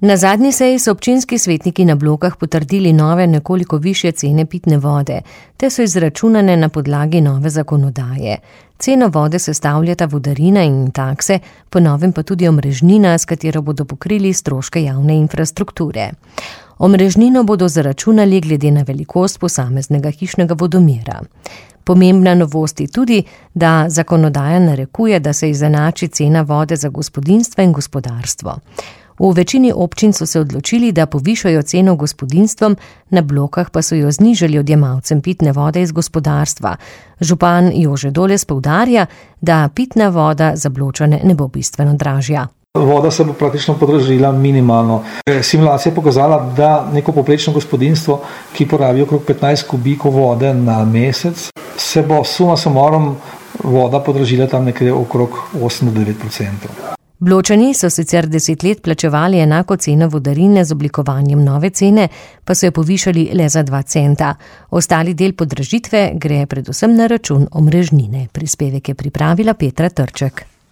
Na zadnji seji so občinski svetniki na Blokah potrdili nove nekoliko višje cene pitne vode, te so izračunane na podlagi nove zakonodaje. Ceno vode sestavljata vodarina in takse, po novem pa tudi omrežnina, s katero bodo pokrili stroške javne infrastrukture. Omrežnino bodo zaračunali glede na velikost posameznega hišnega vodomera. Pomembna novost je tudi, da zakonodaja narekuje, da se izenači cena vode za gospodinjstva in gospodarstvo. V večini občin so se odločili, da povišajo ceno gospodinjstvom, na Blokah pa so jo znižali odjemalcem pitne vode iz gospodarstva. Župan Jože Doles poudarja, da pitna voda za Bločane ne bo bistveno dražja. Voda se bo praktično podražila minimalno. Simulacija je pokazala, da neko poprečno gospodinjstvo, ki porabi okrog 15 kubikov vode na mesec, se bo suma sumarum voda podražila tam nekje okrog 8-9%. Bločani so sicer 10 let plačevali enako ceno vodarine, z oblikovanjem nove cene pa so jo povišali le za 2 centa. Ostali del podražitve gre predvsem na račun omrežnine. Prispevek je pripravila Petra Trček.